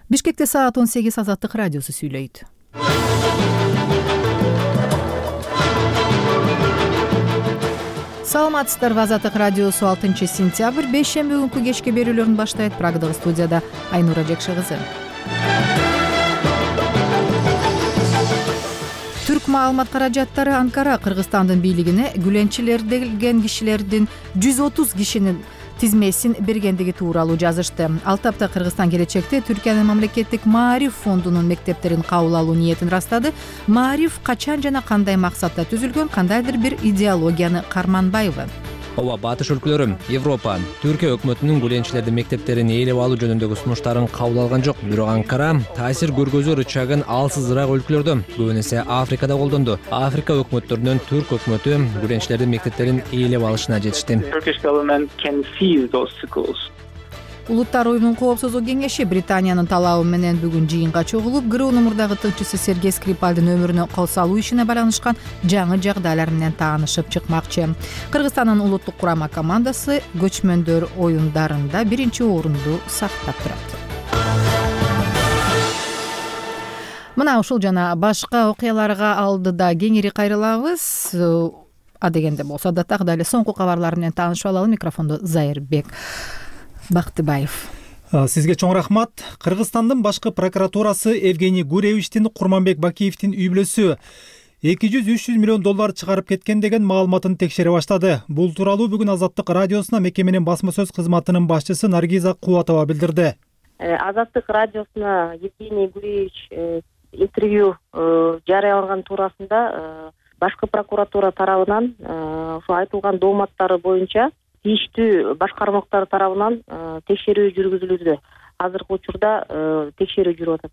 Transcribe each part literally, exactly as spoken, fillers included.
Бишкекте саат он сегиз Азаттык радиосу сүйлөйт. Саламатсыздарбы, Азаттык радиосу алтынчы сентябрь бейшемби күнкү кечки берүүлөрүн баштайт. Прагдагы студияда Айнура Жекши кызы. Түрк маалымат каражаттары Анкара Кыргызстандын бийлигине гүленчилерден кишилердин жүз отуз кишинин тизмесин бергендиги тууралуу жазышты. Ал тапта Кыргызстан келечекте Түркиянын мамлекеттик Маариф фондунун мектептерин кабыл алуу ниетин ырастады. Маариф качан жана кандай максатта түзүлгөн, кандайдыр бир идеологияны карманбайбы? Ооба, батыш өлкөлөрү, Европа, Түркия өкмөтүнүн гүленчилердин мектептерин ээлеп алуу жөнүндөгү сунуштарын кабыл алган жок. Бирок Анкара таасир көргөзүү рычагын алсызыраак өлкөлөрдө, көбүн эсе Африкада колдонду. Африка өкмөттөрүнөн Түрк өкмөтү гүленчилердин мектептерин ээлеп алышына жетишти. Улуттар оюнунун коопсуздук кеңеши Британиянын талабы менен бүгүн жыйынга чогулуп, ГРУнун мурдагы тынччысы Сергей Скрипальдын өмүрүнө кол салуу ишине байланышкан жаңы жагдайлар менен таанышып чыкмакчы. Кыргызстандын улуттук курама командасы көчмөндөр оюндарында биринчи орунду сактап турат. Мына ушул жана башка окуяларга алдыда кеңири кайрылабыз. Адегенде болсо да так эле соңку кабарлар менен таанышып алалы. Микрофондо Зайырбек Бактыбаев. Сизге чоң рахмат. Кыргызстандын башкы прокуратурасы Евгений Гуревичтин Курманбек Бакиевдин үй бүлөсү эки жүз үч жүз миллион доллар чыгарып кеткен деген маалыматын текшере баштады. Бул тууралуу бүгүн Азаттык радиосуна мекеменин басма сөз кызматынын башчысы Наргиза Кубатова билдирди. Азаттык радиосуна Евгений Гуревич интервью жарыялаган туурасында башкы прокуратура тарабынан ошо айтылган дооматтары боюнча тийиштүү башкармалыктар тарабынан текшерүү жүргүзүлүүдө. Азыркы учурда текшерүү жүрүп атат.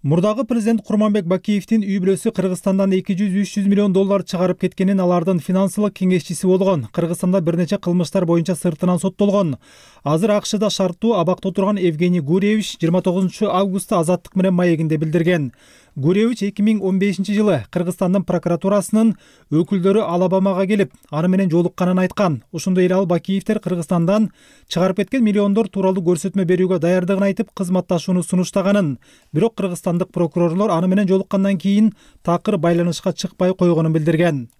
Мурдагы президент Курманбек Бакиевдин үй бүлөсү Кыргызстандан эки жүз үч жүз миллион доллар чыгарып кеткенин, алардын финансылык кеңешчиси болгон. Кыргызстанда бир нече кылмыштар боюнча сыртынан соттолгон. Азыр АКШда шарттуу абакта отурган Евгений Гуревич жыйырма тогузунчу августта Азаттык менен маегинде билдирген. Гуревич эки миң он бешинчи жылы Кыргызстандын прокуратурасынын өкүлдөрү Алабамага келип, аны менен жолукканын айткан. Ошондой эле ал Бакиевдер Кыргызстандан чыгарып кеткен миллиондор тууралуу көрсөтмө берүүгө даярдыгын айтып, кызматташууну сунуштаганын. Бирок кыргызстандык прокурорлор аны менен жолуккандан кийин такыр байланышка чыкпай койгонун билдирген.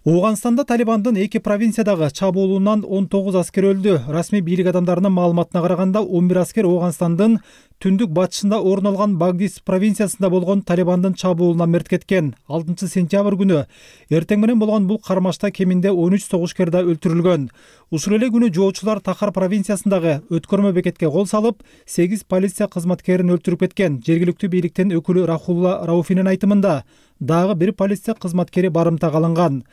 Ооганстанда Талибандын эки провинциядагы чабуулунан он тогуз аскер өлдү. Расмий бийлик адамдарынын маалыматына караганда, он бир аскер Ооганстандын түндүк батышында орун алган Багдис провинциясында болгон Талибандын чабуулунан мерт кеткен. алтынчы сентябрь күнү эртең менен болгон бул кармашта кеминде он үч согушкер да өлтүрүлгөн. Ушул эле күнү жоочулар Тахар провинциясындагы өткөрмө бекетке кол салып, сегиз полиция кызматкерин өлтүрүп кеткен. Жергиликтүү бийликтин өкүлү Рахулла Рауфинин айтымында, дагы бир полиция кызматкери барымтага алынган.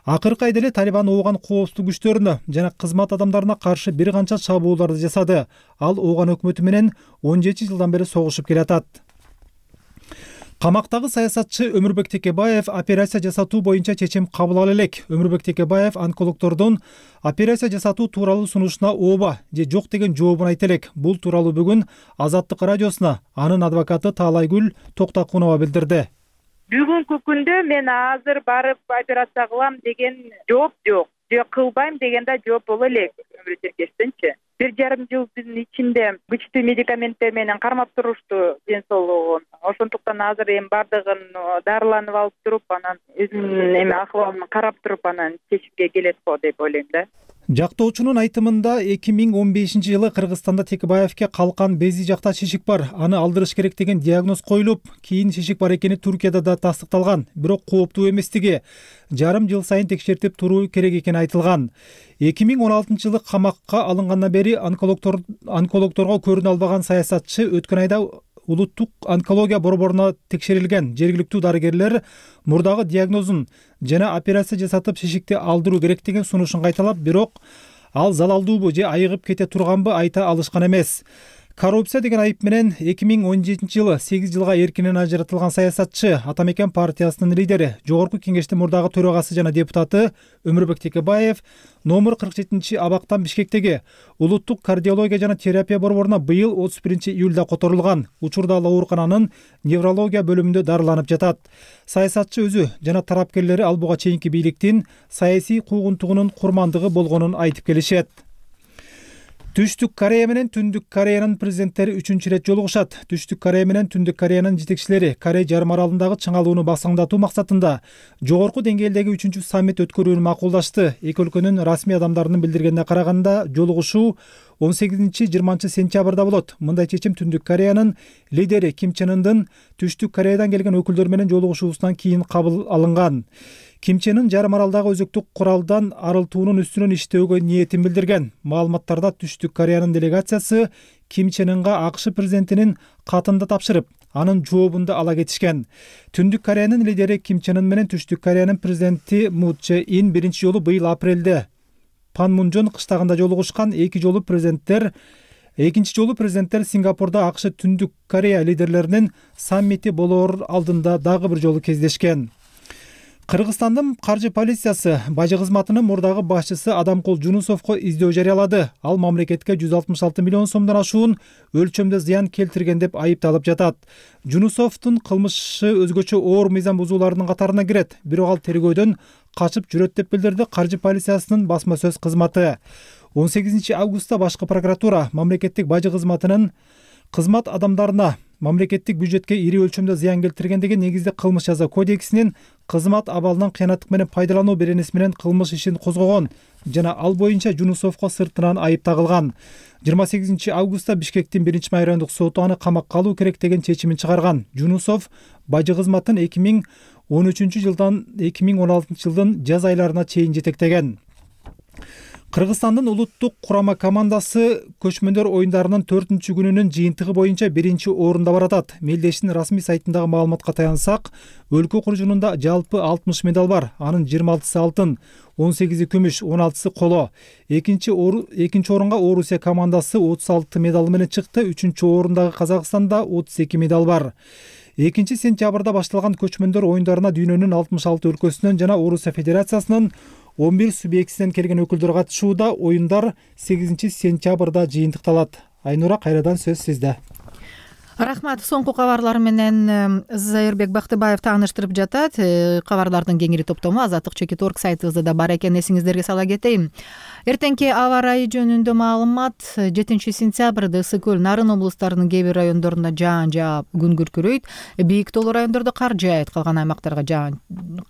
Акыркы айда эле Талибан Ооган коопсуздук күчтөрүнө жана кызмат адамдарына каршы бир канча чабууларды жасады. Ал Ооган өкмөтү менен он жети жылдан бери согушуп келатат. Камактагы саясатчы Өмүрбек Текебаев операция жасатуу боюнча чечим кабыл ала элек. Өмүрбек Текебаев онкологдордун операция жасатуу тууралуу сунушуна ооба же жок деген жообун айта элек. Бул тууралуу бүгүн Азаттык радиосуна анын адвокаты Таалайгүл Токтокунова билдирди. Бүгүнкү күндө мен азыр барып операция кылам деген жооп жок. Же кылбайм деген да жооп боло элек. Өмүрбек Текебаевдинчи бир жарым жылдын ичинде күчтүү медикаменттер менен кармап турушту ден соолугун. Ошондуктан азыр эми бардыгын дарыланып алып туруп, анан өзүмдүн эми акыбалымды карап туруп, анан чечимге келет го деп ойлойм да. Жактоочунун айтымында эки миң он бешинчи жылы Кыргызстанда Текебаевке калкан безди жакта шишик бар, аны алдырыш керек деген диагноз коюлуп, кийин шишик бар экени Туркияда да тастыкталган, бирок кооптуу эместиги, жарым жыл сайын текшертип туруу керек экени айтылган. эки миң он алтынчы жылы камакка алынгандан бери онкологдор онкологдорго көрүнө албаган саясатчы өткөн айда улуттук онкология борборуна текшерилген. Жергиликтүү дарыгерлер мурдагы диагнозун жана операция жасатып шишикти алдыруу керек деген сунушун кайталап, бирок ал залалдуубу же айыгып кете турганбы айта алышкан эмес. Коррупция деген айып менен эки миң он жетинчи жылы сегиз жылга эркинен ажыратылган саясатчы, Атамекен партиясынын лидери, Жогорку Кеңештин мурдагы төрагасы жана депутаты Өмүрбек Текебаев номер кырк жетинчи абактан Бишкектеги улуттук кардиология жана терапия борборуна быйыл отуз биринчи июлда которулган. Учурда ал оорукананын неврология бөлүмүндө дарыланып жатат. Саясатчы өзү жана тарапкерлери ал буга чейинки бийликтин саясий куугунтугунун курмандыгы болгонун айтып келишет. Түштүк Корея менен Түндүк Кореянын президенттери үчүнчү ирет жолугушат. Түштүк Корея менен Түндүк Кореянын жетекчилери Корей жарым аралындагы чыңалууну басаңдатуу максатында жогорку деңгээлдеги үчүнчү саммит өткөрүүнү макулдашты. Эки өлкөнүн расмий адамдарынын билдиргенине караганда, жолугушуу он сегизинчи жыйырманчы сентябрда болот. Мындай чечим Түндүк Кореянын лидери Ким Чен Ындын Түштүк Кореядан келген өкүлдөр менен жолугушуусунан кийин кабыл алынган. Ким Чен Ын жарым аралдагы өзөктүк куралдан арылтуунун үстүнөн иштөөгө ниетин билдирген. Маалыматтарда Түштүк Кореянын делегациясы Ким ЧенЫнга АКШ президентинин катын да тапшырып, анын жообун да ала кетишкен. Түндүк Кореянын лидери Ким Чен Ын менен Түштүк Кореянын президенти Мун Чже Ин биринчи жолу быйыл апрелде Панмунжон кыштагында жолугушкан. Эки жолу президенттер Экинчи жолу президенттер Сингапурда АКШ Түндүк Корея лидерлеринин саммити болоор алдында дагы бир жолу кездешкен. Кыргызстандын каржы полициясы бажы кызматынын мурдагы башчысы Адамкул Жунусовго издөө жарыялады. Ал мамлекетке жүз алтымыш алты миллион сомдон ашуун өлчөмдө зыян келтирген деп айыпталып жатат. Жунусовдун кылмышы өзгөчө оор мыйзам бузууларынын катарына кирет. Бирок ал тергөөдөн качып жүрөт деп билдирди каржы полициясынын басма сөз кызматы. он сегизинчи августта башкы прокуратура мамлекеттик бажы кызматынын кызмат адамдарына мамлекеттик бюджетке ири өлчөмдө зыян келтиргендеги негизде кылмыш жаза кодексинин кызмат абалынан кыянаттык менен пайдалануу беренеси менен кылмыш ишин козгогон жана ал боюнча Жунусовго сыртынан айып тагылган. жыйырма сегизинчи августта Бишкектин биринчи райондук соту аны камакка алуу керек деген чечимин чыгарган. Жунусов бажы кызматын эки миң он үчүнчү жылдан эки миң он алтынчы жылдын жаз айларына чейин жетектеген. Кыргызстандын улуттук курама командасы көчмөндөр оюндарынын төртүнчү күнүнүн жыйынтыгы боюнча биринчи орунда баратат. Мелдештин расмий сайтындагы маалыматка таянсак, өлкө окуучунунда жалпы алтымыш медаль бар. Анын жыйырма алтысы алтын, он сегизи күмүш, он алтысы коло. Экинчи экинчи орунга Орусия командасы отуз алты медаль менен чыкты. Үчүнчү орундагы Казакстанда отуз эки медаль бар. экинчи сентябрда башталган көчмөндөр оюндарына дүйнөнүн алтымыш алты өлкөсүнөн жана Орусия Федерациясынын он бир субъектисинен келген өкүлдөр катышууда. Оюндар сегизинчи сентябрда жыйынтыкталат. Айнура, кайрадан сөз сизде. Рахмат. Соңку кабарлар менен Зайырбек Бактыбаев тааныштырып жатат. Кабарлардын кеңири топтому азаттык чекит орг сайтыбызда да бар экен, эсиңиздерге сала кетейин. Эртеңки аба ырайы жөнүндө маалымат. жетинчи сентябрда Ысык көл, Нарын облустарынын кээ бир райондорунда жаан жаап, күн күркүрөйт. Бийик тоолуу райондордо кар жаайт, калган аймактарга жаан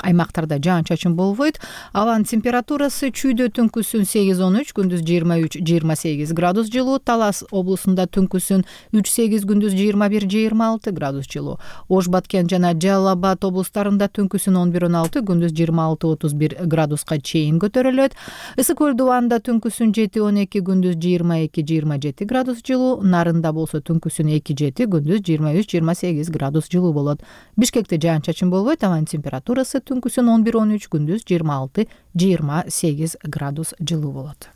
аймактарда жаан-чачын болбойт. Абанын температурасы чүйдө түнкүсүн сегиз он үч, күндүз жыйырма үч жыйырма сегиз градус жылуу. Талас облусунда түнкүсүн үч сегиз, күндүз жыйырма бир жыйырма алты градус жылуу. Ош, Баткен жана Жалал Абад облустарында түнкүсүн он бир он алты, күндүз жыйырма алты отуз бир градуска чейин көтөрүлөт. Ысык көл дубанда түнкүсүн жети он эки, күндүз жыйырма эки жыйырма жети градус жылуу. Нарында болсо түнкүсүн эки жети, күндүз жыйырма үч жыйырма сегиз градус жылуу болот. Бишкекте жаан-чачын болбойт. Абанын температурасы түнкүсүн он бир он үч, күндүз жыйырма алты жыйырма сегиз градус жылуу болот.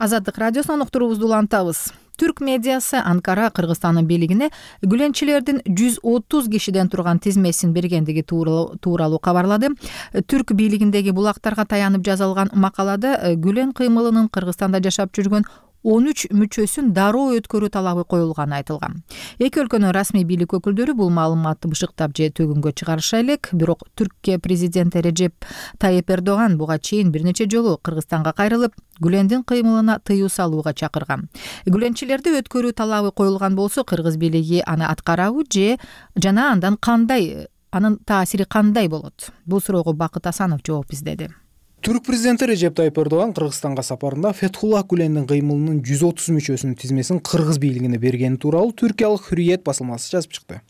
Азаттык радиосунан уктуруубузду улантабыз. Түрк медиасы Анкара Кыргызстандын бийлигине гүленчилердин жүз отуз кишиден турган тизмесин бергендиги тууралуу кабарлады. Түрк бийлигиндеги булактарга таянып жазылган макалада Гүлен кыймылынын Кыргызстанда жашап жүргөн он үч мүчөсүн дароо өткөрүү талабы коюлганы айтылган. Эки өлкөнүн расмий бийлик өкүлдөрү бул маалыматты бышыктап же төгүнгө чыгарыша элек. Бирок Түркия президенти Режеп Тайып Эрдоган буга чейин бир нече жолу Кыргызстанга кайрылып, Гүлендин кыймылына тыюу салууга чакырган. Гүленчилерди өткөрүү талабы коюлган болсо, кыргыз бийлиги аны аткарабы же жана андан кандай, анын таасири кандай болот? Бул суроого Бакыт Асанов жооп издеди. Түрк президенти Режеп Тайып Эрдоган Кыргызстанга сапарында Фетхуллах Гүлендин кыймылынын жүз отуз мүчөсүнүн тизмесин кыргыз бийлигине бергени тууралуу түркиялык Hürriyet басылмасы жазып чыкты.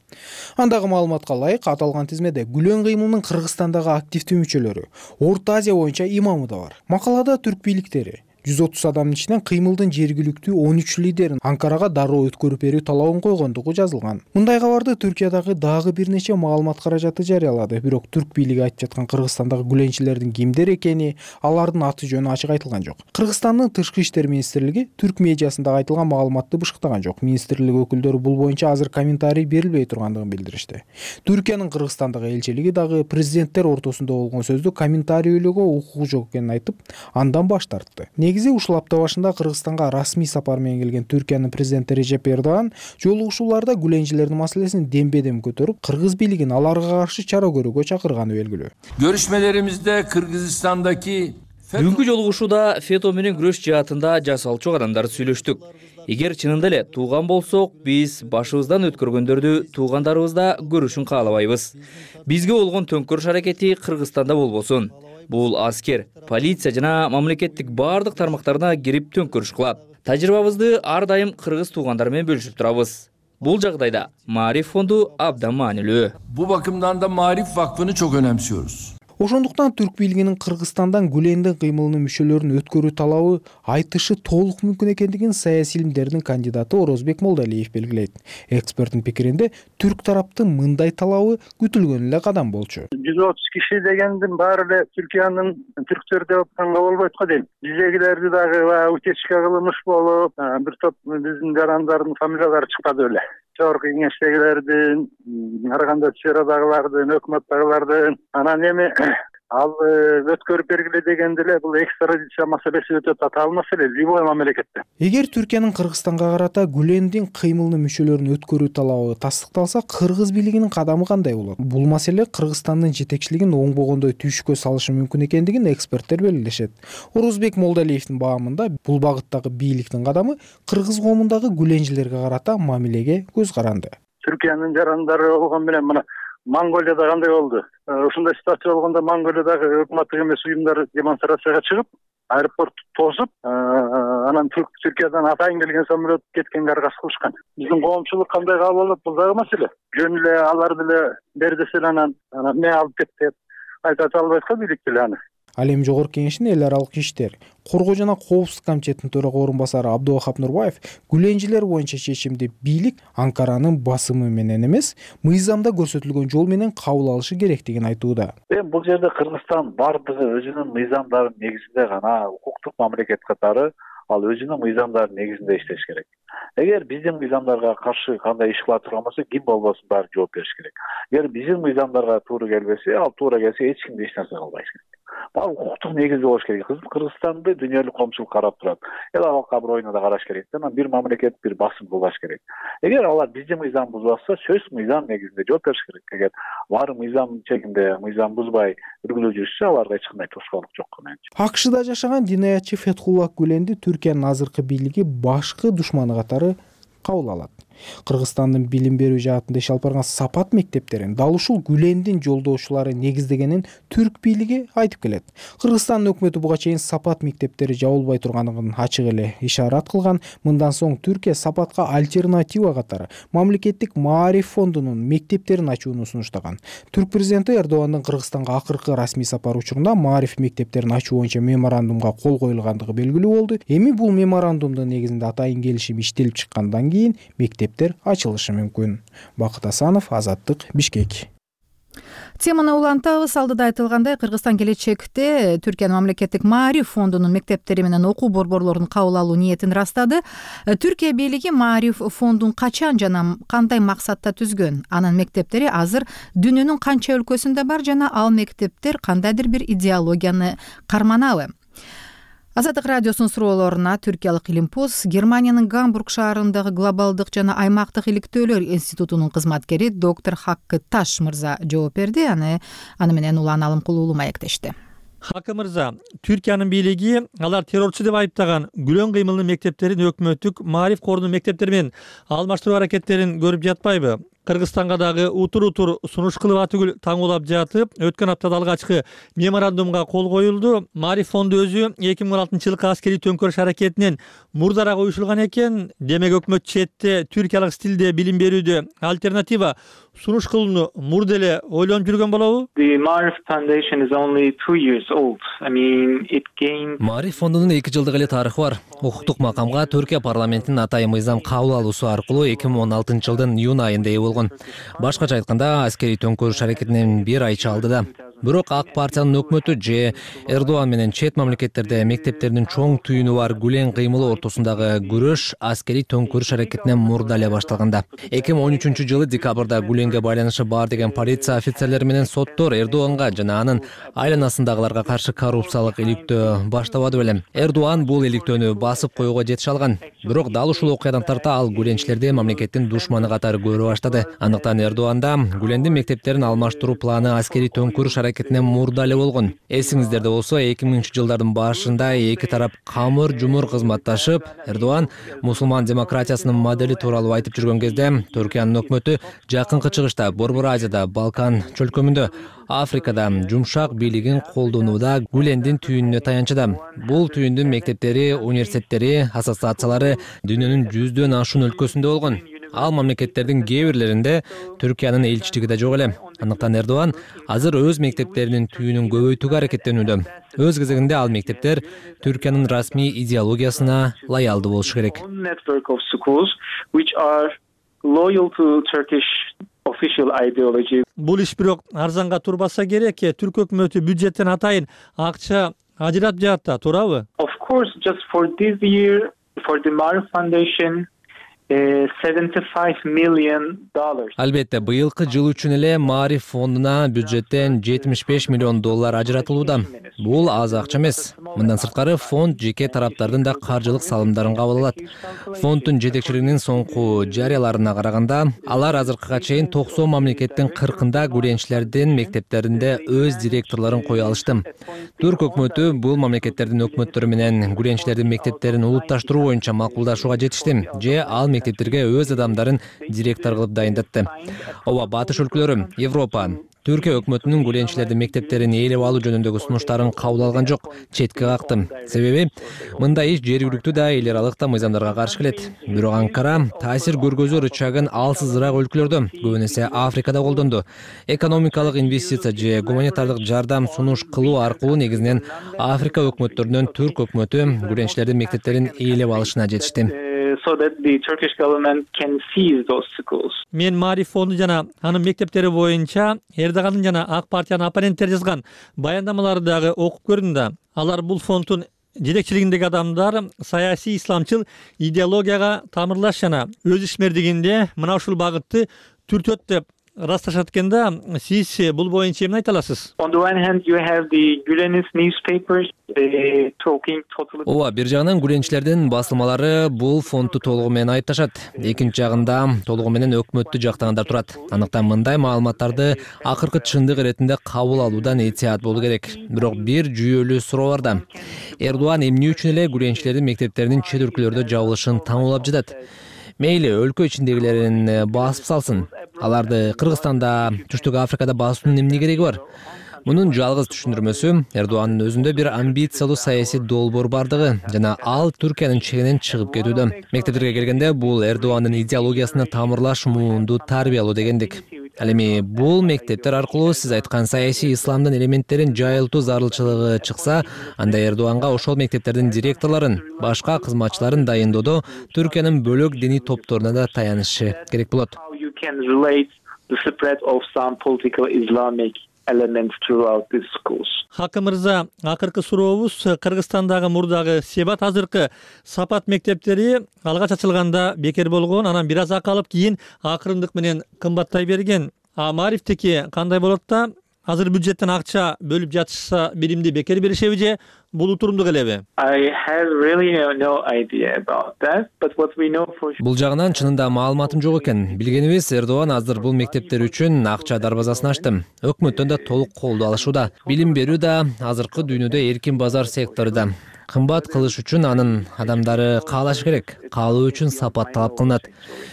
Андагы маалыматка ылайык, аталган тизмеде Гүлен кыймылынын Кыргызстандагы активдүү мүчөлөрү, Орто Азия боюнча имамы да бар. Макалада түрк бийликтери жүз отуз адамдын ичинен кыймылдын жергиликтүү он үч лидерин Анкарага дароо өткөрүп берүү талабын койгондугу жазылган. Мындай кабарды Түркиядагы дагы бир нече маалымат каражаты жарыялады. Бирок түрк бийлиги айтып жаткан Кыргызстандагы гүленчилердин кимдер экени, алардын аты жөнү ачык айтылган жок. Кыргызстандын тышкы иштер министрлиги түрк медиасында айтылган маалыматты бышыктаган жок. Министрлик өкүлдөрү бул боюнча азыр комментарий берилбей тургандыгын билдиришти. Түркиянын Кыргызстандагы элчилиги дагы президенттер ортосунда болгон сөздү комментарийлөөгө укугу жок экенин айтып, андан баш тартты. негизи ушул апта башында Кыргызстанга расмий сапар менен келген Түркиянын президенти Режеп Эрдоган жолугушууларда гүленчилердин маселесин дембедем көтөрүп, кыргыз бийлигин аларга каршы чара көрүүгө чакырганы белгилүү. Görüşmelerimizde Kırgızistan'daki Бүгүнкү жолугушууда фето менен күрөш жаатында жасалчу кадамдарды сүйлөштүк. Эгер чынында эле тууган болсок, биз башыбыздан өткөргөндөрдү туугандарыбызда көрүшүн каалабайбыз. Бизге болгон төңкөрүш аракети Кыргызстанда болбосун. Бул аскер, полиция жана мамлекеттик баардык тармактарына кирип төңкөрүш кылат. Тажрыйбабызды ар дайым кыргыз туугандар менен бөлүшүп турабыз. Бул жагдайда Маариф фонду абдан маанилүү. Bu bakımdan da Maarif Vakfı'nı çok önemsiyoruz. Ошондуктан түрк бийлигинин Кыргызстандан Гүлендин кыймылынын мүчөлөрүн өткөрүү талабы айтышы толук мүмкүн экендигин саясий илимдердин кандидаты Орозбек Молдалиев белгилейт. Эксперттин пикиринде түрк тараптын мындай талабы күтүлгөн эле кадам болчу. жүз отуз киши дегендин баары эле Түркиянын түрктөр деп атканга болбойт го дейм. Биздегилерди дагы утечка кылмыш болуп, бир топ биздин жарандардын фамилиялары чыкпады эле. Чор кеңештегилердин, ар кандай сферадагылардын, өкмөттөгүлөрдүн, анан эми ал өткөрүп бергиле дегенде эле бул экстрадиция маселеси өтө татаал маселе любой мамлекетте. Эгер Түркиянын Кыргызстанга карата Гүлендин кыймылынын мүчөлөрүн өткөрүү талабы тастыкталса, кыргыз бийлигинин кадамы кандай болот? Бул маселе Кыргызстандын жетекчилигин оңбогондой түшкө салышы мүмкүн экендигин эксперттер белгилешет. Орозбек Молдалиевдин баамында бул багыттагы бийликтин кадамы кыргыз коомундагы гүленчилерге карата мамилеге көз каранды. Түркиянын жарандары болгон менен мына Монголияда кандай болду? Ушундай ситуация болгондо Монголиядагы өкмөттүк эмес уюмдар демонстрацияга чыгып, аэропорт тосуп, анан Түркиядан атайын келген самолет кеткенге аргасыз кылышкан. Биздин коомчулук кандай кабыл алат? Бул дагы маселе. Жөн эле алар деле бер десе анан эмне алып кет деп айта албайт го бийлик деле аны. Ал эми Жогорку Кеңештин эл аралык иштер, коргоо жана коопсуздук комитетинин төрага орун басары Абдувахап Нурбаев гүленчилер боюнча чечимди бийлик Анкаранын басымы менен эмес, мыйзамда көрсөтүлгөн жол менен кабыл алышы керектигин айтууда. Эми бул жерде Кыргызстан бардыгы өзүнүн мыйзамдарынын негизинде гана укуктук мамлекет катары ал өзүнүн мыйзамдарынын негизинде иштеш керек. Эгер биздин мыйзамдарга каршы кандай иш кыла турган болсо, ким болбосун баары жооп бериш керек. Эгер биздин мыйзамдарга туура келбесе, ал туура келсе эч ким эч нерсе кылбайт керек. Бул укуктук негизде болуш керек. Кыргызстанды дүйнөлүк коомчулук карап турат. Эл алакка бирөөнө да караш керек. Анан бир мамлекет бир басым кылбаш керек. Эгер алар биздин мыйзам бузбаса, сөз мыйзам негизинде жооп бериш керек. Эгер баары мыйзам чегинде мыйзам бузбай үргүлө жүрүшсө, аларга эч кандай тосқоолук жок менчи. АКШда жашаган динаятчы Фетхулла Гүленди Түркиянын азыркы бийлиги башкы душманы катары кабыл алат. Кыргызстандын билим берүү жаатында иш алып барган Сапат мектептерин дал ушул Гүлендин жолдошулары негиздегенин түрк бийлиги айтып келет. Кыргызстандын өкмөтү буга чейин Сапат мектептери жабылбай турганын ачык эле ишарат кылган. Мындан соң Түркия Сапатка альтернатива катары мамлекеттик Маариф фондунун мектептерин ачууну сунуштаган. Түрк президенти Эрдогандын Кыргызстанга акыркы расмий сапары учурунда Маариф мектептерин ачуу боюнча меморандумга кол коюлгандыгы белгилүү болду. Эми бул меморандумдун негизинде атайын келишим иштелип чыккандан кийин мектептер ачылышы мүмкүн. Бакыт Асанов, Азаттык, Бишкек. Теманы улантабыз. Алдыда айтылгандай, Кыргызстан келечекте Түркиянын мамлекеттик Маариф фондунун мектептери менен окуу борборлорун кабыл алуу ниетин ырастады. Түркия бийлиги Маариф фондун качан жана кандай максатта түзгөн? Анын мектептери азыр дүйнөнүн канча өлкөсүндө бар жана ал мектептер кандайдыр бир идеологияны карманабы? Азаттык радиосунун суроолоруна түркиялык Илимпоз Германиянын Гамбург шаарындагы глобалдык жана аймактык иликтөөлөр институтунун кызматкери доктор Хаккы Таш мырза жооп берди. Аны аны менен Улан Алымкул уулу маектешти. Хаккы мырза, Түркиянын бийлиги алар террорчу деп айыптаган Гүлен кыймылынын мектептерин өкмөттүк Маариф корунун мектептери менен алмаштыруу аракеттерин көрүп жатпайбы? Кыргызстанга дагы утур-утур сунуш кылып атүгүл таңуулап жатып, өткөн аптада алгачкы меморандумга кол коюлду. Маариф фонду өзү эки миң он алтынчы жылкы аскерий төңкөрүш аракетинен мурдараак уюшулган экен. Демек өкмөт четте түркиялык стилде билим берүүдө альтернатива сунуш кылууну мурда эле ойлонуп жүргөн болобу? Маариф фондунун эки жылдык эле тарыхы бар. Укуктук макамга Түркия парламентинин атайын мыйзам кабыл алуусу аркылуу эки миң он алтынчы жылдын июнь айында ээ болгон. Башкача айтканда, аскерий төңкөрүш аракетинен бир ай чалды да. Бирок ак партиянын өкмөтү же Эрдоган менен чет мамлекеттерде мектептердин чоң түйүнү бар Гүлен кыймылы ортосундагы күрөш аскерий төңкүрүш аракетинен мурда эле башталганда. эки миң он үчүнчү жылы декабрда Гүленге байланышы бар деген полиция офицерлери менен соттор Эрдоганга жана анын айланасындагыларга каршы коррупциялык иликтөө баштабады белем. Эрдоган бул иликтөөнү басып коюуга жетише алган. Бирок дал ушул окуядан тарта ал гүленчилерди мамлекеттин душманы катары көрө баштады. Андыктан Эрдоганда Гүлендин мектептерин алмаштыруу планы аскерий төңкүрүш аракетинен мурда эле болгон. Эсиңиздерде болсо эки миңинчи жылдардын башында эки тарап камыр жумур кызматташып, Эрдоган мусулман демократиясынын модели тууралуу айтып жүргөн кезде Түркиянын өкмөтү жакынкы чыгышта, Борбор Азияда, Балкан чөлкөмүндө, Африкада жумшак бийлигин колдонууда Гүлендин түйүнүнө таянчыда. Бул түйүндүн мектептери, университеттери, ассоциациялары дүйнөнүн жүздөн ашуун өлкөсүндө болгон. Ал мамлекеттердин кээ бирлеринде Түркиянын элчилиги да жок эле. Андыктан Эрдоган азыр өз мектептеринин түйүнүн көбөйтүүгө аракеттенүүдө. Өз кезегинде ал мектептер Түркиянын расмий идеологиясына лоялдуу болушу керек. Бул иш бирок арзанга турбаса керек. Түрк өкмөтү бюджеттен атайын акча ажыратып жатат, туурабы? Of course, just for this year, for the Marif Foundation, seventy-five million dollars. Албетте, быйылкы жыл үчүн эле Мариф фондуна бюджеттен жетимиш беш миллион доллар ажыратылууда. Бул аз акча эмес. Мындан сырткары фонд жеке тараптардын да каржылык салымдарын кабыл алат. Фонддун жетекчилигинин соңку жарыяларына караганда, алар азыркыга чейин токсон мамлекеттин кыркында гүленчилердин мектептеринде өз директорлорун кое алышты. Түрк өкмөтү бул мамлекеттердин өкмөттөрү менен гүленчилердин мектептерин улутташтыруу боюнча макулдашууга жетишти. Же ал мектептерге өз адамдарын директор кылып дайындатты. Ооба, батыш өлкөлөрү, Европа, Түркия өкмөтүнүн гүленчилердин мектептерин ээлеп алуу жөнүндөгү сунуштарын кабыл алган жок, четке какты. Себеби мындай иш жергиликтүү да эл аралык да мыйзамдарга каршы келет. Бирок Анкара таасир көргөзүү рычагын алсызыраак өлкөлөрдө, көбүн эсе Африкада колдонду. Экономикалык инвестиция же гуманитардык жардам сунуш кылуу аркылуу негизинен Африка өкмөттөрүнөн Түрк өкмөтү гүленчилердин мектептерин ээлеп алышына жетишти. So that the Turkish government can seize those schools. Мен Мариф фонду жана анын мектептери боюнча Эрдогандын жана ак партиянын оппоненттери жазган баяндамаларды дагы окуп көрдүм да. Алар бул фонддун жетекчилигиндеги адамдар саясий исламчыл идеологияга тамырлаш жана өз ишмердигинде мына ушул багытты түртөт деп расташат экен да. Сиз бул боюнча эмне айта аласыз? On the one hand, you have the Gülenist newspapers talking totally. Ооба, бир жагынан гүленчилердин басылмалары бул фондду толугу менен айыпташат. Экинчи жагында толугу менен өкмөттү жактагандар турат. Андыктан мындай маалыматтарды акыркы чындык иретинде кабыл алуудан этият болуу керек. Бирок бир жүйөлүү суроо бар да. Эрдоган эмне үчүн эле гүленчилердин мектептеринин чет өлкөлөрдө жабылышын таңуулап жатат? Мейли өлкө ичиндегилерин басып салсын. Аларды Кыргызстанда, Түштүк Африкада басуунун эмне кереги бар? Мунун жалгыз түшүндүрмөсү Эрдогандын өзүндө бир амбициялуу саясий долбоор бардыгы жана ал Түркиянын чегинен чыгып кетүүдө. Мектептерге келгенде бул Эрдогандын идеологиясына тамырлаш муунду тарбиялоо дегендик. Ал эми бул мектептер аркылуу сиз айткан саясий исламдын элементтерин жайылтуу зарылчылыгы чыкса, анда Эрдоганга ошол мектептердин директорлорун, башка кызматчыларын дайындоодо Түркиянын бөлөк диний топторуна да таянышы керек болот. You can relate the spread of some political Islamic elements throughout the schools. Хаким мырза, акыркы сурообуз Кыргызстандагы мурдагы Себат азыркы Сапат мектептери алгач ачылганда бекер болгон, анан бир аз акалып кийин акырындык менен кымбаттай берген. А Марифтеки кандай болот да? Азыр бюджеттен акча бөлүп жатышса биримди бекер беришеби же бул утурумдуу келеби? I have really no, no idea about that, but what we know for Бул жагынан чынында маалыматым жок экен. Билгенибиз, Эрдоган азыр бул мектептер үчүн акча дарбазасын ачты. Өкмөттөн да толук колдоо алышууда. Билим берүү да азыркы дүйнөдө эркин базар сектору да. Кымбат кылыш үчүн анын адамдары каалашы керек. Каалоо үчүн сапат талап кылынат.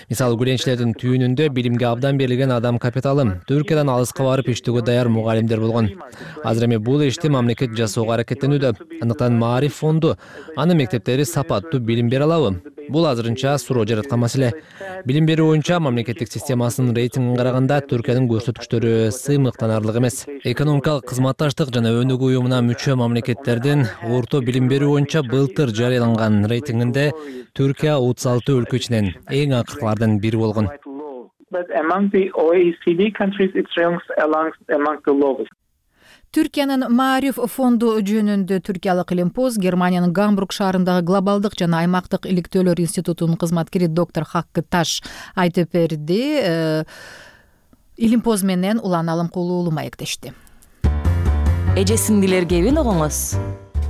Мисалы, гүленчилердин түйүнүндө билимге абдан берилген адам капиталы, Түркиядан алыска барып иштөөгө даяр мугалимдер болгон. Азыр эми бул ишти мамлекет жасоого аракеттенүүдө. Андыктан Мариф фонду анын мектептери сапаттуу билим бере алабы? Бул азырынча суроо жараткан маселе. Билим берүү боюнча мамлекеттик системасынын рейтингин караганда Түркиянын көрсөткүчтөрү сыймыктанарлык эмес. Экономикалык кызматташтык жана өнүгүү уюмуна мүчө мамлекеттердин орто билим берүү боюнча былтыр жарыяланган рейтингинде Түркия отуз алты өлкө ичинен эң акыркылардын бири болгон. But among the O E C D countries, it ranks among among the lowest. Түркиянын Маариф фонду жөнүндө түркиялык Илимпоз Германиянын Гамбург шаарындагы глобалдык жана аймактык иликтөөлөр институтунун кызматкери доктор Хаккы Таш айтып берди. Илимпоз менен Улан Алымкулуу маектешти. Эже сиңдилер кебин огоңуз.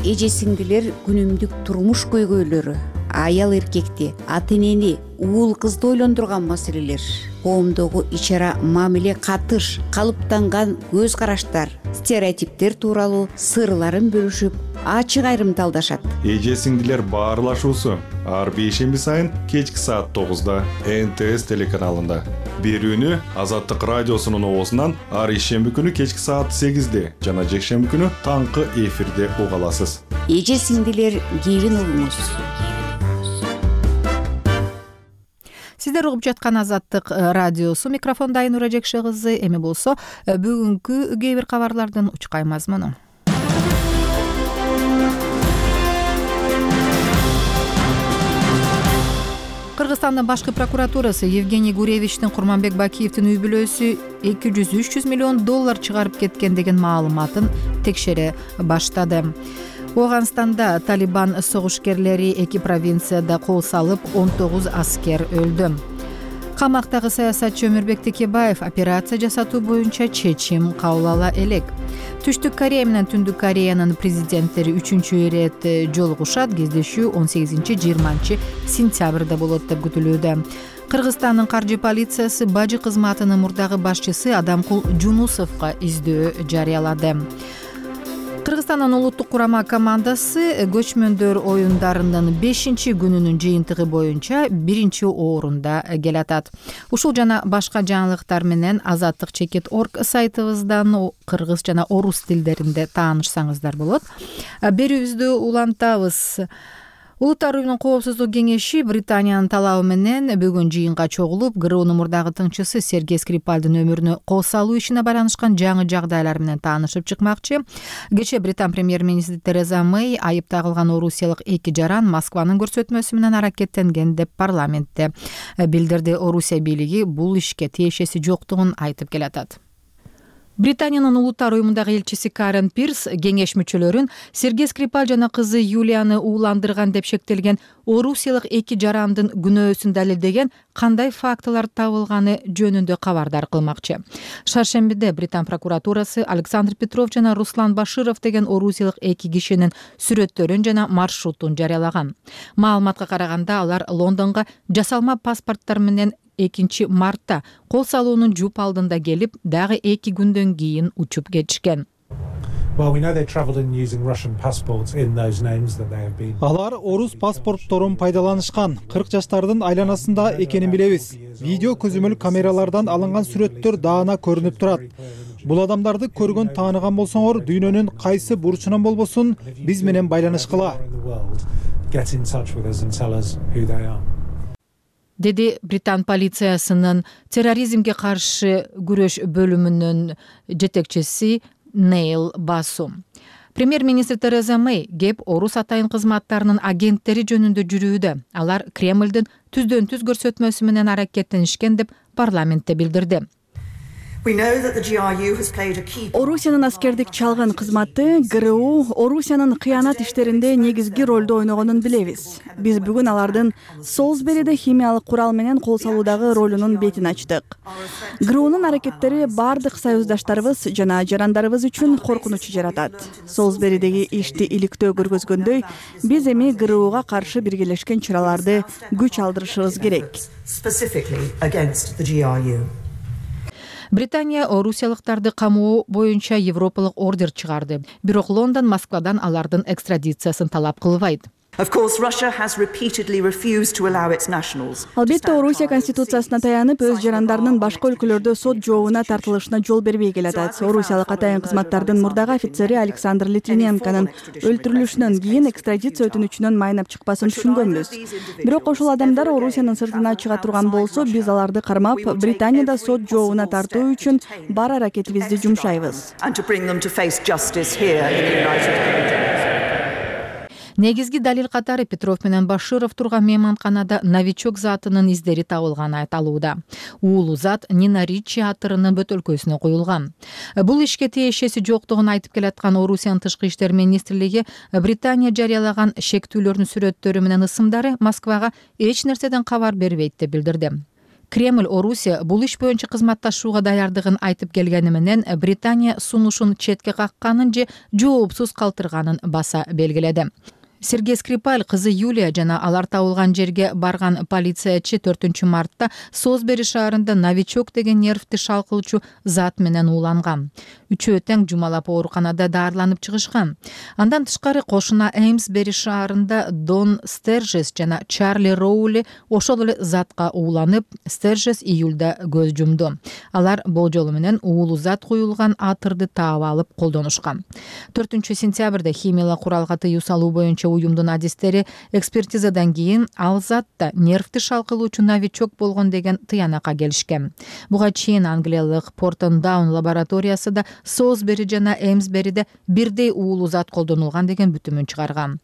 Эже сиңдилер күнүмдүк турмуш көйгөйлөрү, аял эркекти, ата энени, уул кызды ойлондурган маселелер, коомдогу ич-ара мамиле катыш, калыптанган көз караштар, стереотиптер тууралуу сырларын бөлүшүп, ачык айрымталдашат. Эже сиңдилер баарлашуусу ар бейшемби сайын кечки саат тогузда эн тэ эс телеканалында. Берүүнү Азаттык радиосунун оозунан ар ишемби күнү кечки саат сегизде жана жекшемби күнү таңкы эфирде уга аласыз. Эже сиңдилер келин угуңуз. Сиздер угуп жаткан Азаттык радиосу, микрофонда Айнура Жекше кызы. Эми болсо бүгүнкү кээ бир кабарлардын учкай мазмуну. Кыргызстандын башкы прокуратурасы Евгений Гуревичтин Курманбек Бакиевдин үй бүлөсү эки жүз үч жүз миллион доллар чыгарып кеткен деген маалыматын текшере баштады. Оганстанда Талибан согушкерлери эки провинцияда кол салып, он тогуз аскер өлдү. Камактагы саясатчы Өмүрбек Текебаев операция жасатуу боюнча чечим кабыл ала элек. Түштүк Корея менен Түндүк Кореянын президенттери үчүнчү ирет жолугушат. Кездешүү он сегизинчи жыйырманчы сентябрда болот деп күтүлүүдө. Кыргызстандын каржы полициясы бажы кызматынын мурдагы башчысы Адамкул Жунусовго издөө жарыялады. Кыргызстандын улуттук курама командасы көчмөндөр оюндарынын бешинчи күнүнүн жыйынтыгы боюнча биринчи орунда келатат. Ушул жана башка жаңылыктар менен Азаттык чекит орг сайтыбыздан кыргыз жана орус тилдеринде таанышсаңыздар болот. Берүүбүздү улантабыз. Улуттар уюмунун коопсуздук кеңеши Британиянын талабы менен бүгүн жыйынга чогулуп, ГРУнун мурдагы тыңчысы Сергей Скрипальдын өмүрүнө кол салуу ишине байланышкан жаңы жагдайлар менен таанышып чыкмакчы. Кечээ Британ премьер-министри Тереза Мэй айып тагылган орусиялык эки жаран Москванын көрсөтмөсү менен аракеттенген деп парламентте билдирди. Орусия бийлиги бул ишке тиешеси жоктугун айтып келатат. Британиянын улуттар уюмундагы элчиси Карен Пирс кеңеш мүчөлөрүн Сергей Скрипаль жана кызы Юлияны ууландырган деп шектелген орусиялык эки жарандын күнөөсүн далилдеген кандай фактылар табылганы жөнүндө кабардар кылмакчы. Шаршембиде Британ прокуратурасы Александр Петров жана Руслан Баширов деген орусиялык эки кишинин сүрөттөрүн жана маршрутун жарыялаган. Маалыматка караганда алар Лондонго жасалма паспорттор менен экинчи мартта кол салуунун жуп алдында келип, дагы эки күндөн кийин учуп кетишкен. Алар орус паспортторун пайдаланышкан, кырк жаштардын айланасында экенин билебиз. Видео көзөмөл камералардан алынган сүрөттөр даана көрүнүп турат. Бул адамдарды көргөн, тааныган болсоңор, дүйнөнүн кайсы бурчунан болбосун биз менен байланышкыла. Деди Британ полициясынын терроризмге каршы күрөш бөлүмүнүн жетекчиси Нейл Басу. Премьер-министр Тереза Мэй кеп орус атайын кызматтарынын агенттери жөнүндө жүрүүдө. Алар Кремлдин түздөн түз көрсөтмөсү менен аракеттенишкен деп парламентте билдирди. Орусиянын аскердик чалгын кызматы ГРУ Орусиянын кыянат иштеринде негизги ролду ойногонун билебиз. Биз бүгүн алардын Солсбериде химиялык курал менен кол салуудагы ролунун бетин ачтык. ГРУнун аракеттери бардык союздаштарыбыз жана жарандарыбыз үчүн коркунуч жаратат. Солсберидеги ишти иликтөө көргөзгөндөй, биз эми ГРУга каршы биргелешкен чараларды күч алдырышыбыз керек. Британия орусиялыктарды камоо боюнча европалык ордер чыгарды. Бирок Лондон Москвадан алардын экстрадициясын талап кылбайт. Албетте Орусия конституциясына таянып, өз жарандарынын башка өлкөлөрдө сот жообуна тартылышына жол бербей келатат. Орусиялык атайын кызматтардын мурдагы офицери Александр Литвиненконун өлтүрүлүшүнөн кийин экстрадиция өтүнүчүнөн майнап чыкпасын түшүнгөнбүз. Бирок ошол адамдар Орусиянын сыртына чыга турган болсо, биз аларды кармап, Британияда сот жообуна тартуу үчүн бар аракетибизди жумшайбыз. негизги далил катары Петров менен Баширов турган мейманканада новичок затынын издери табылганы айтылууда. Уулу зат Нина Ричи атырынын бөтөлкөсүнө коюлган. Бул ишке тиешеси жоктугун айтып келаткан Орусиянын тышкы иштер министрлиги Британия жарыялаган шектүүлөрдүн сүрөттөрү менен ысымдары Москвага эч нерседен кабар бербейт деп билдирди. Кремль Орусия бул иш боюнча кызматташууга даярдыгын айтып келгени менен Британия сунушун четке какканын же жоопсуз калтырганын баса белгиледи. Сергей Скрипаль кызы Юлия жана алар табылган жерге барган полициячы төртүнчү мартта Солсбери шаарында новичок деген нервти шалкылчу зат менен ууланган. Үчөө тең жумалап ооруканада даарыланып чыгышкан. Андан тышкары кошуна Эймсбери шаарында Дон Стержес жана Чарли Роули ошол эле затка ууланып, Стержес июлда көз жумду. Алар болжолу менен уулу зат куюлган атырды таап алып колдонушкан. төртүнчү сентябрда химиялык куралга тыюу салуу боюнча уюмдун адистери экспертизадан кийин ал затта нервти шалкылуучу новичок болгон деген тыянакка келишкен. Буга чейин англиялык Портон Даун лабораториясы да Солсбери жана Эймсбериде бирдей уулу зат колдонулган деген бүтүмүн чыгарган.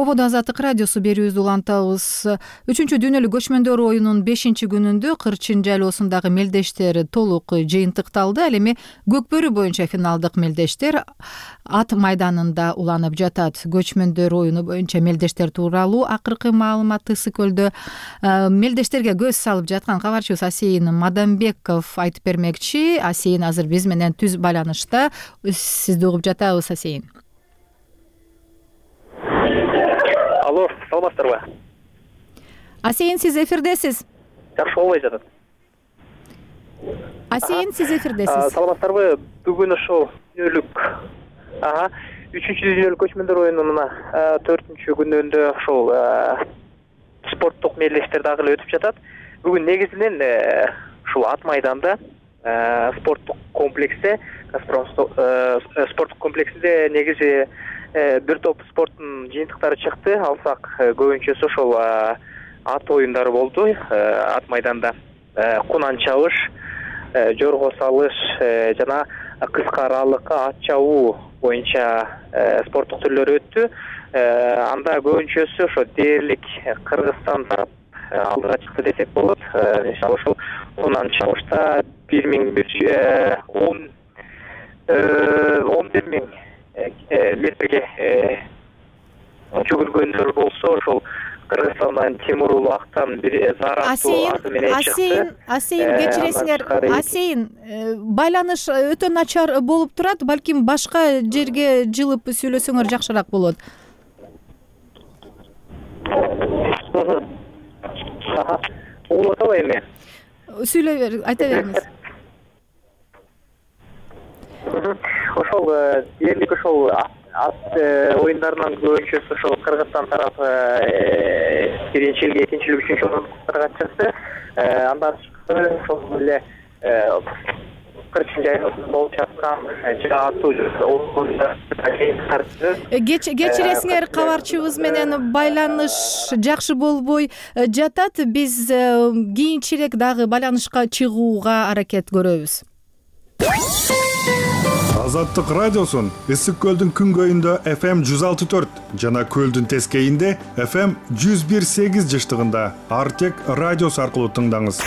Ободо Азаттык радиосу берүүбүздү улантабыз. Үчүнчү дүйнөлүк көчмөндөр оюнунун бешинчи күнүндө Кырчын жайлоосундагы мелдештер толук жыйынтыкталды. Ал эми Көкбөрү боюнча финалдык мелдештер ат майданында уланып жатат. Көчмөндөр оюну боюнча мелдештер тууралуу акыркы маалыматты Ысык көлдө мелдештерге көз салып жаткан кабарчыбыз Асейин Мадамбеков айтып бермекчи. Асейин азыр биз менен түз байланышта. Сизди угуп жатабыз, Асейин. Алло, саламатсыздарбы? Асейин, сиз эфирдесиз. Жакшы болбой жатат. Асейин, сиз эфирдесиз. Саламатсыздарбы? Бүгүн ошол дүйнөлүк ага үчүнчү дүйнөлүк көчмөндөр оюнунун төртүнчү күнүндө ошол спорттук мелдештер дагы эле өтүп жатат. Бүгүн негизинен ушул ат майданда спорттук комплексте, Газпром спорттук комплексинде негизи бир топ спорттун жыйынтыктары чыкты. Алсак көбүнчөсү ошол ат оюндары болду. Ат майданда кунан чабыш, жорго салыш жана кыска аралыкка ат чабуу боюнча спорттук түрлөр өттү. Анда көбүнчөсү ошо дээрлик Кыргызстан тарап алдыга чыкты десек болот. Мисалы ошол кунан чабышта бир миң бир жүз он он бир миң метрге жүгүргөндөр болсо, ошол Кыргызстандан Тимур Улактан бир Зараттуу аты менен чыкты. Асейин, Асейин кечиресиңер. Асейин, байланыш өтө начар болуп турат. Балким башка жерге жылып сүйлөсөңөр жакшыраак болот. Угуп атабы эми? Сүйлөй бер, айта бериңиз. Ошол дээрлик ошол ат оюндарынан көбүнчөсү ошол Кыргызстан тарапы биринчилик, экинчилик, үчүнчү орундарга чыкты. Андан тышкары ошол эле Кырчын жайлоосунда болуп жаткан жаатуу оюндар кечиресиңер, кабарчыбыз менен байланыш жакшы болбой жатат. Биз кийинчерээк дагы байланышка чыгууга аракет көрөбүз. Азаттык радиосун Ысык көлдүн күнгөйүндө эф эм жүз алты төрт жана көлдүн тескейинде эф эм жүз бир сегиз жыштыгында Артек радиосу аркылуу тыңдаңыз.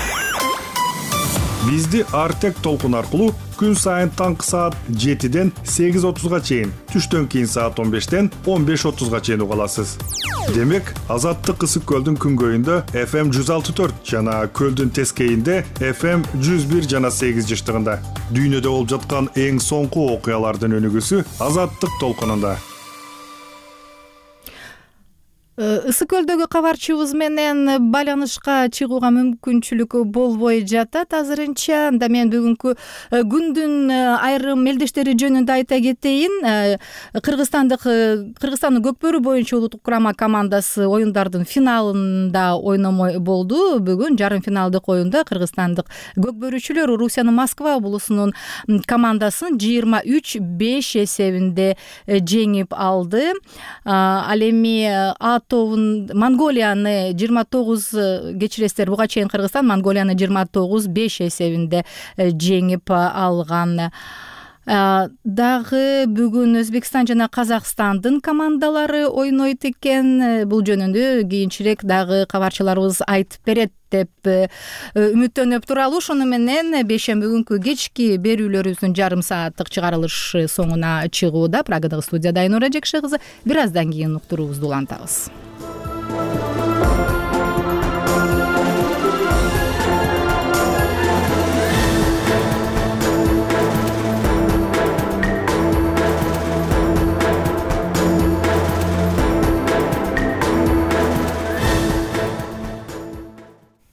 Бизди Артек толкун аркылуу күн сайын таңкы саат жетиден сегиз отузга чейин, түштөн кийин саат он бештен он беш отузга чейин уга аласыз. Демек, Азаттык Ысык көлдүн күнгөйүндө эф эм жүз алты төрт жана көлдүн тескейинде эф эм жүз бир жана сегиз жыштыгында. Дүйнөдө болуп жаткан эң соңку окуялардын өнүгүүсү Азаттык толкунунда. Ысык көлдөгү кабарчыбыз менен байланышка чыгууга мүмкүнчүлүк болбой жатат азырынча. Анда мен бүгүнкү күндүн айрым мелдештери жөнүндө айта кетейин. Кыргызстандык Кыргызстандын Көкбөрү боюнча улуттук курама командасы оюндардын финалында ойномой болду. Бүгүн жарым финалдык оюнда кыргызстандык көкбөрүчүлөр Орусиянын Москва облусунун командасын жыйырма үч беш эсебинде жеңип алды. Ал эми ат тогуз Монголияны жыйырма тогуз кечиресиздер, буга чейин Кыргызстан Монголияны жыйырма тогуз беш эсебинде жеңип алган. Дагы бүгүн Өзбекстан жана Казакстандын командалары ойнойт экен. Бул жөнүндө кийинчерээк дагы кабарчыларыбыз айтып берет деп үмүттөнүп туралы. Ошону менен бейшемби күнкү кечки берүүлөрүбүздүн жарым сааттык чыгарылышы соңуна чыгууда. Прагадагы студияда Айнура Жекши кызы. Бир аздан кийин уктуруубузду улантабыз.